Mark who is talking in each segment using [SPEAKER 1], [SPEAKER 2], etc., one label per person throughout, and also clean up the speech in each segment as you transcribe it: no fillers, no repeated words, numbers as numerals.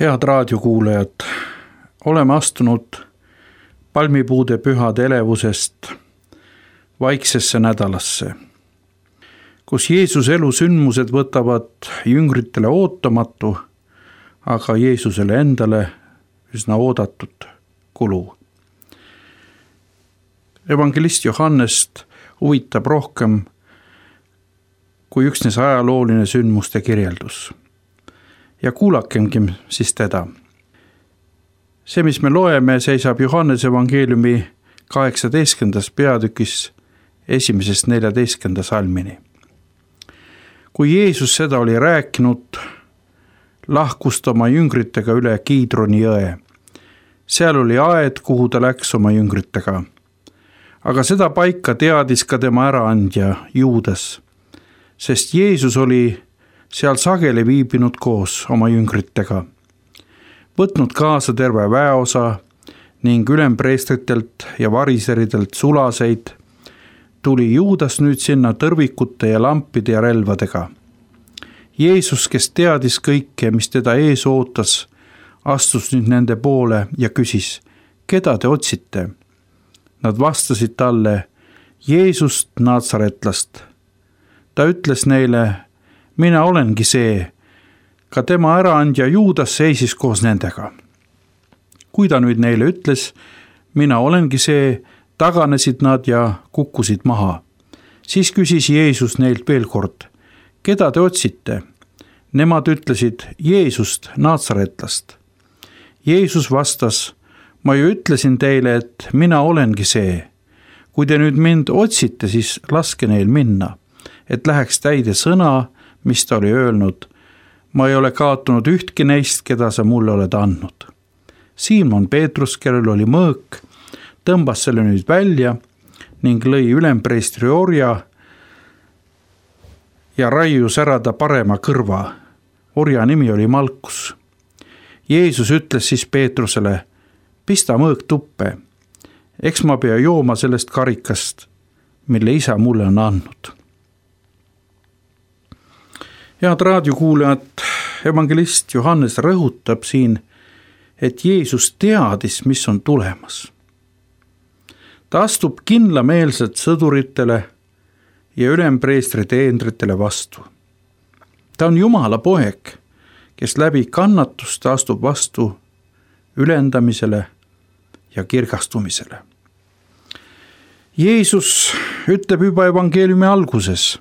[SPEAKER 1] Head raadiokuulajad, oleme astunud palmipuude pühade elevusest vaiksesse nädalasse, kus Jeesuse elusündmused võtavad jüngritele ootamatu, aga Jeesusele endale üsna oodatud kulu. Evangelist Johannest huvitab rohkem kui üksnes ajalooline sündmuste kirjeldus. Ja kuulakemgi siis teda. See, mis me loeme, seisab Johannese evangeeliumi 18. peatükis 1.–14. salmini. Kui Jeesus seda oli rääkinud, lahkus ta oma jüngritega üle Kiidroni jõe. Seal oli aed, kuhu ta läks oma jüngritega. Aga seda paika teadis ka tema äraandja Juudas, sest Jeesus oli seal sageli viibinud koos oma jüngritega, võtnud kaasa terve väeosa ning ülempreestritelt ja variseridelt sulaseid, tuli Juudas nüüd sinna tõrvikute ja lampide ja relvadega. Jeesus, kes teadis kõike, mis teda ees ootas, astus nüüd nende poole ja küsis, keda te otsite? Nad vastasid talle, Jeesust Naatsaretlast. Ta ütles neile, mina olengi see, ka tema äraandja Juudas seisis koos nendega. Kui ta nüüd neile ütles, mina olengi see, taganesid nad ja kukkusid maha. Siis küsis Jeesus neilt veel kord, keda te otsite? Nemad ütlesid Jeesust Naatsaretlast. Jeesus vastas, ma ju ütlesin teile, et mina olengi see. Kui te nüüd mind otsite, siis laske neil minna, et läheks täide sõna, mis ta oli öelnud, ma ei ole kaotanud ühtki neist, keda sa mulle oled andnud. Siimon Peetrus, kellel oli mõõk, tõmbas selle nüüd välja ning lõi ülempreestri orja ja raius ära ta parema kõrva. Orja nimi oli Malkus. Jeesus ütles siis Peetrusele, pista mõõk tuppe, eks ma pea jooma sellest karikast, mille isa mulle on andnud. Head raadiokuulajad, evangelist Johannes rõhutab siin, et Jeesus teadis, mis on tulemas. Ta astub kindlameelselt sõduritele ja ülempreestri teenritele vastu. Ta on Jumala poeg, kes läbi kannatust astub vastu ülendamisele ja kirgastumisele. Jeesus ütleb juba evangeeliumi alguses,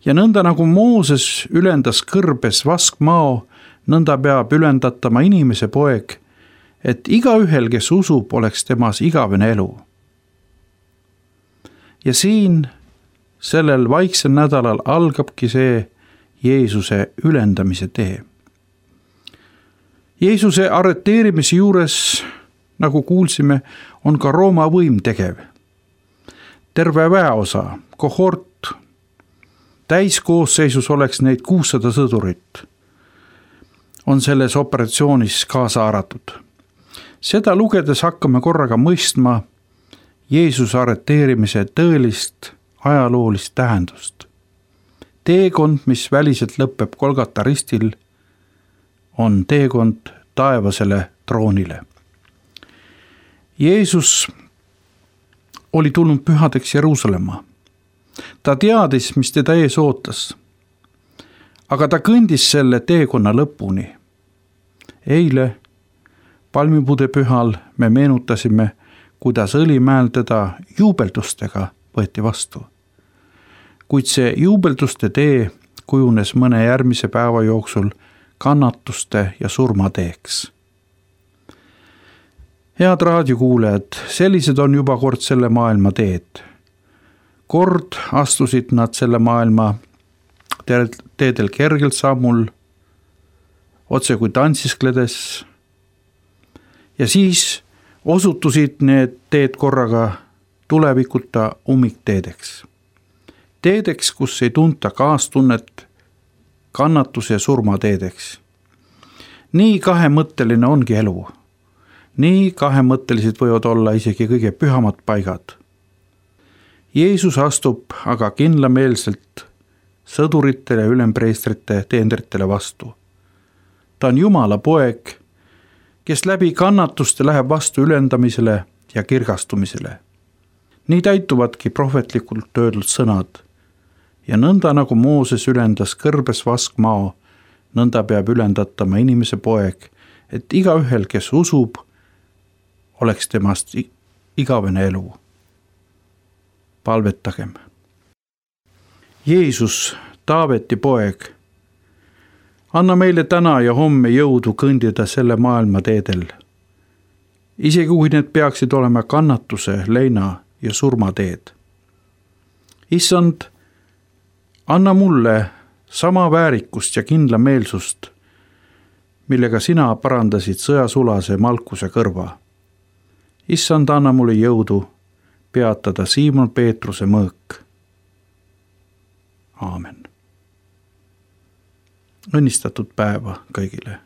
[SPEAKER 1] ja nõnda nagu Mooses ülendas kõrbes vaskmao, nõnda peab ülendatama inimese poeg, et igaühel, kes usub, oleks temas igavene elu. Ja siin sellel vaiksel nädalal algabki see Jeesuse ülendamise tee. Jeesuse arreteerimise juures, nagu kuulsime, on ka Rooma võim tegev. Terve väeosa, kohort, täiskoosseisus oleks neid 600 sõdurit, on selles operatsioonis kaasa arvatud. Seda lugedes hakkame korraga mõistma Jeesuse arreteerimise tõelist ajaloolist tähendust. Teekond, mis väliselt lõpeb Golgata ristil, on teekond taevasele troonile. Jeesus oli tulnud pühadeks Jeruusalemma. Ta teadis, mis teda ees ootas, aga ta kõndis selle teekonna lõpuni. Eile palmipuude pühal me meenutasime, kuidas Õlimäel teda juubeldustega võeti vastu. Kuid see juubelduste tee kujunes mõne järgmise päeva jooksul kannatuste ja surmateeks. Head raadiokuulajad, sellised on juba kord selle maailma teed. Kord astusid nad selle maailma teedel kergelt sammul, otse kui tantsiskledes, ja siis osutusid need teed korraga tulevikuta ummikteedeks. Teedeks, kus ei tunta kaastunnet, kannatus- ja surmateedeks. Nii kahemõtteline ongi elu. Nii kahemõttelised võivad olla isegi kõige pühamad paigad. Jeesus astub aga kindlameelselt sõduritele ja ülempreestrite teenritele vastu. ta on Jumala poeg, kes läbi kannatuste läheb vastu ülendamisele ja kirgastumisele. nii täituvadki prohvetlikult öeldud sõnad. ja nõnda nagu Mooses ülendas kõrbes vaskmao, nõnda peab ülendatama inimese poeg, et igaühel, kes usub, oleks temast igavene elu. Palvetagem. Jeesus, Taaveti poeg, anna meile täna ja homme jõudu kõndida selle maailma teedel. Isegi kui need peaksid olema kannatuse, leina ja surmateed. Issand, anna mulle sama väärikust ja kindlameelsust, millega sina parandasid sõjasulase Malkuse kõrva. Issand, anna mulle jõudu peatada Siimon Peetruse mõõk. Aamen. Õnnistatud päeva kõigile.